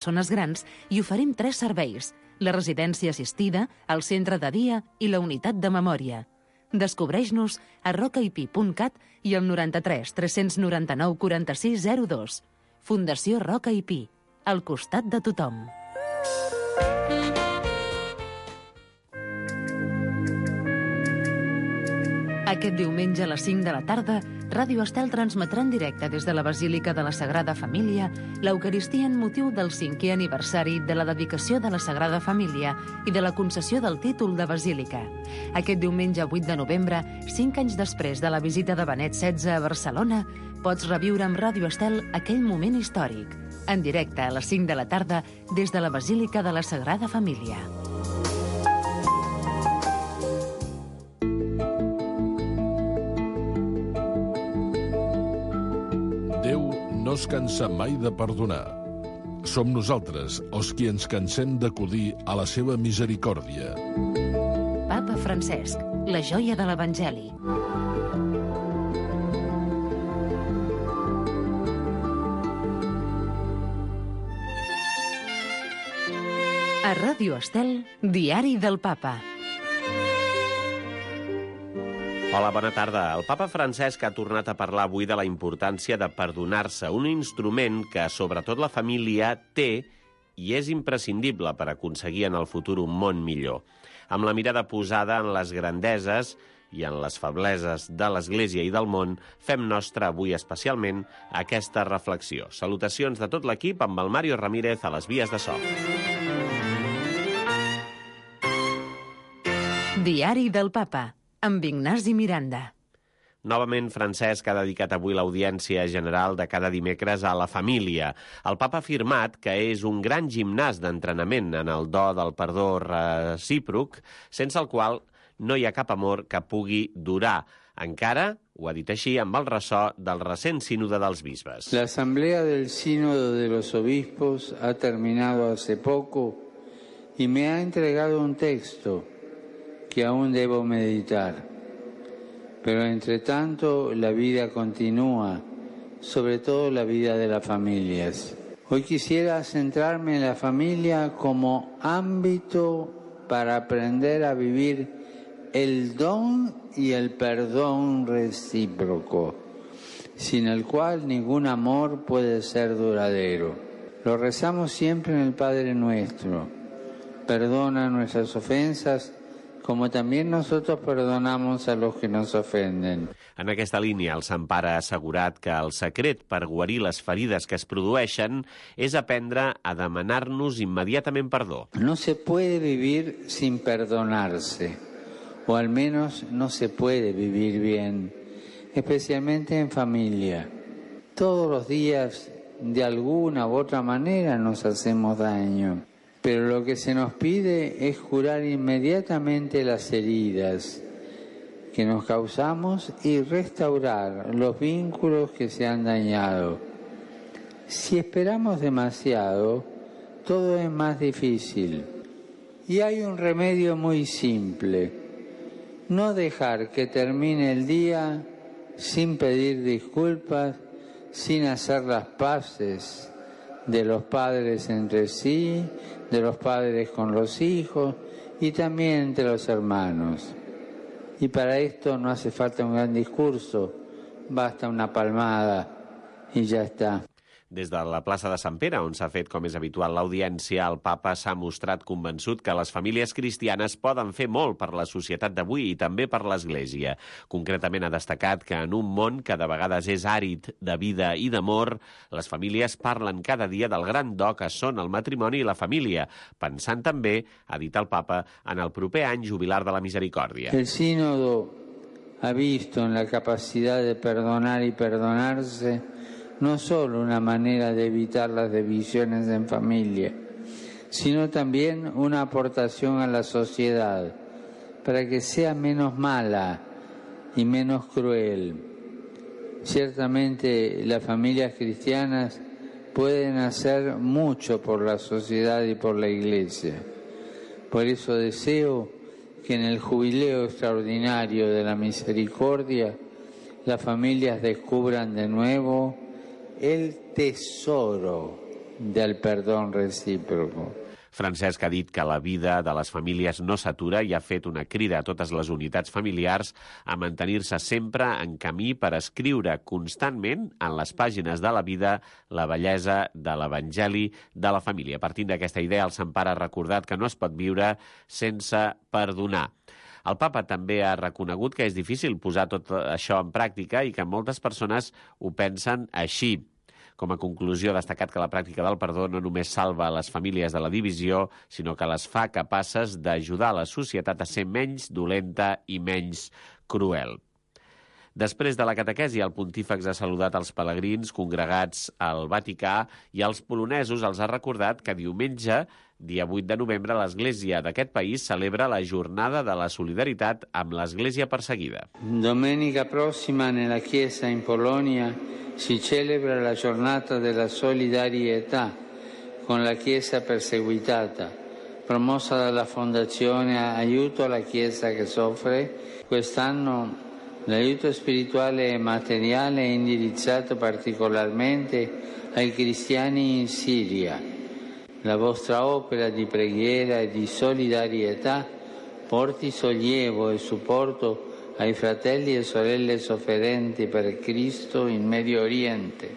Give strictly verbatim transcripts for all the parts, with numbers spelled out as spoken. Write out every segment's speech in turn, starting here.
persones grans i oferim tres serveis: la residència assistida, el centre de dia i la unitat de memòria. Descobreix-nos a rocaip punt cat i al noranta-tres tres noranta-nou quaranta-sis zero dos. Fundació Roca i Pi, al costat de tothom. Aquest diumenge a les cinc de la tarda, Ràdio Estel transmetrà en directe des de la Basílica de la Sagrada Família l'Eucaristia en motiu del cinquè aniversari de la dedicació de la Sagrada Família i de la concessió del títol de Basílica. Aquest diumenge vuit de novembre, cinc anys després de la visita de Benet setze a Barcelona, pots reviure amb Ràdio Estel aquell moment històric. En directe a les cinc de la tarda des de la Basílica de la Sagrada Família. No es cansa mai de perdonar. Som nosaltres els qui ens cansem d'acudir a la seva misericòrdia. Papa Francesc, la joia de l'Evangeli. A Ràdio Estel, Diari del Papa. Hola, bona tarda. El papa Francesc ha tornat a parlar avui de la importància de perdonar-se, un instrument que, sobretot la família, té i és imprescindible per aconseguir en el futur un món millor. Amb la mirada posada en les grandeses i en les febleses de l'Església i del món, fem nostra avui especialment aquesta reflexió. Salutacions de tot l'equip amb el Mario Ramírez a les vies de so. Diari del Papa, amb Ignasi Miranda. Novament, Francesc ha dedicat avui l'audiència general de cada dimecres a la família. El papa ha afirmat que és un gran gimnàs d'entrenament en el do del perdó recíproc, sense el qual no hi ha cap amor que pugui durar. Encara, ho ha dit així, amb el ressò del recent sínode dels bisbes. La asamblea del sínodo de los obispos ha terminado hace poco y me ha entregado un texto que aún debo meditar. Pero entre tanto la vida continúa, sobre todo la vida de las familias. Hoy quisiera centrarme en la familia como ámbito para aprender a vivir el don y el perdón recíproco, sin el cual ningún amor puede ser duradero. Lo rezamos siempre en el Padre Nuestro. Perdona nuestras ofensas, como también nosotros perdonamos a los que nos ofenden. En aquesta línia, el Sant Pare ha assegurat que el secret per guarir les ferides que es produeixen és aprendre a demanar-nos immediatament perdó. No se puede vivir sin perdonarse, o al menos no se puede vivir bien, especialmente en familia. Todos los días, de alguna u otra manera, nos hacemos daño. Pero lo que se nos pide es curar inmediatamente las heridas que nos causamos y restaurar los vínculos que se han dañado. Si esperamos demasiado, todo es más difícil. Y hay un remedio muy simple: no dejar que termine el día sin pedir disculpas, sin hacer las paces de los padres entre sí, de los padres con los hijos y también entre los hermanos. Y para esto no hace falta un gran discurso, basta una palmada y ya está. Des de la plaça de Sant Pere, on s'ha fet, com és habitual, l'audiència, el papa s'ha mostrat convençut que les famílies cristianes poden fer molt per la societat d'avui i també per l'Església. Concretament ha destacat que en un món que de vegades és àrid de vida i d'amor, les famílies parlen cada dia del gran do que són el matrimoni i la família, pensant també, ha dit el papa, en el proper any jubilar de la misericòrdia. El sínodo ha visto en la capacidad de perdonar y perdonarse no solo una manera de evitar las divisiones en familia, sino también una aportación a la sociedad para que sea menos mala y menos cruel. Ciertamente las familias cristianas pueden hacer mucho por la sociedad y por la Iglesia. Por eso deseo que en el jubileo extraordinario de la misericordia las familias descubran de nuevo el tesoro del perdón recíproco. Francesc ha dit que la vida de les famílies no s'atura i ha fet una crida a totes les unitats familiars a mantenir-se sempre en camí per escriure constantment en les pàgines de la vida la bellesa de l'Evangeli de la família. Partint d'aquesta idea, el Sant Pare ha recordat que no es pot viure sense perdonar. El papa també ha reconegut que és difícil posar tot això en pràctica i que moltes persones ho pensen així. Com a conclusió, ha destacat que la pràctica del perdó no només salva les famílies de la divisió, sinó que les fa capaces d'ajudar la societat a ser menys dolenta i menys cruel. Després de la catequesi, el pontífex ha saludat els pelegrins congregats al Vaticà i als polonesos els ha recordat que diumenge, dia vuit de novembre, l'Església d'aquest país celebra la Jornada de la Solidaritat amb l'Església perseguida. Domenica prossima nella Chiesa in Polonia si celebra la Giornata della Solidarietà con la Chiesa perseguitata, promossa dalla Fondazione Aiuto alla Chiesa che soffre. Quest'anno l'aiuto spirituale e materiale è indirizzato particolarmente ai cristiani in Siria. La vostra opera di preghiera e di solidarietà porti sollievo e supporto ai fratelli e sorelle sofferenti per Cristo in Medio Oriente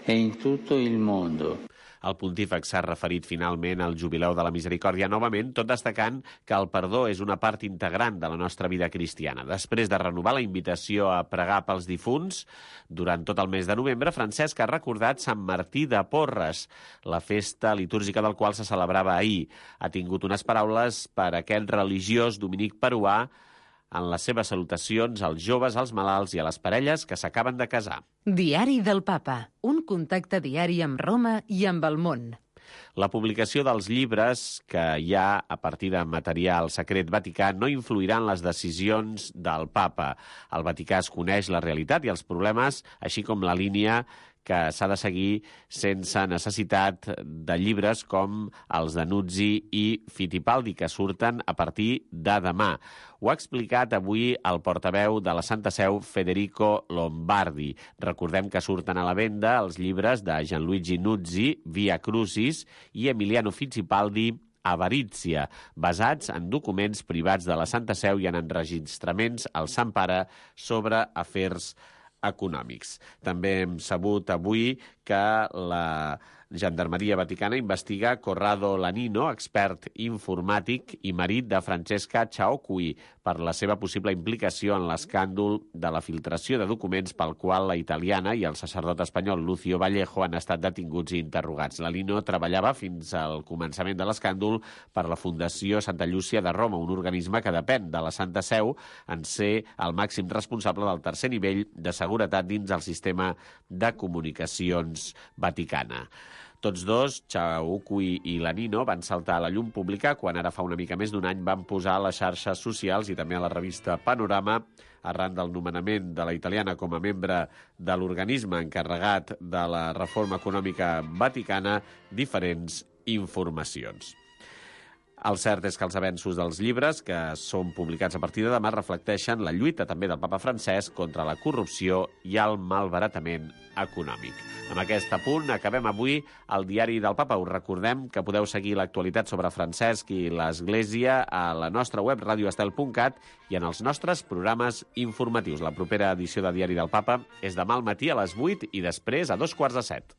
e in tutto il mondo. El pontífex s'ha referit finalment al Jubileu de la Misericòrdia novament, tot destacant que el perdó és una part integrant de la nostra vida cristiana. Després de renovar la invitació a pregar pels difunts, durant tot el mes de novembre, Francesc ha recordat Sant Martí de Porres, la festa litúrgica del qual se celebrava ahir. Ha tingut unes paraules per a aquest religiós dominic peruà en les seves salutacions als joves, als malalts i a les parelles que s'acaben de casar. Diari del Papa, un contacte diari amb Roma i amb el món. La publicació dels llibres que hi ha a partir de material secret vaticà no influirà en les decisions del Papa. El Vaticà es coneix la realitat i els problemes, així com la línia que s'ha de seguir sense necessitat de llibres com els de Nuzzi i Fittipaldi, que surten a partir de demà. Ho ha explicat avui el portaveu de la Santa Seu, Federico Lombardi. Recordem que surten a la venda els llibres de Gianluigi Nuzzi, Via Crucis, i Emiliano Fittipaldi, Avarizia, basats en documents privats de la Santa Seu i en enregistraments al Sant Pare sobre afers econòmics. També hem sabut avui que la Gendarmeria Vaticana investiga Corrado Lanino, expert informàtic i marit de Francesca Ciauqui, per la seva possible implicació en l'escàndol de la filtració de documents pel qual la italiana i el sacerdot espanyol Lucio Vallejo han estat detinguts i interrogats. Lanino treballava fins al començament de l'escàndol per la Fundació Santa Llúcia de Roma, un organisme que depèn de la Santa Seu en ser el màxim responsable del tercer nivell de seguretat dins el sistema de comunicacions vaticana. Tots dos, Ciauqui i Lanino, van saltar a la llum pública quan ara fa una mica més d'un any van posar a les xarxes socials i també a la revista Panorama, arran del nomenament de la italiana com a membre de l'organisme encarregat de la reforma econòmica vaticana, diferents informacions. El cert és que els avenços dels llibres, que són publicats a partir de demà, reflecteixen la lluita també del papa Francesc contra la corrupció i el malbaratament econòmic. Amb aquest apunt acabem avui el Diari del Papa. Us recordem que podeu seguir l'actualitat sobre Francesc i l'Església a la nostra web radio estel punt cat i en els nostres programes informatius. La propera edició de Diari del Papa és demà al matí a les vuit i després a dos quarts de set.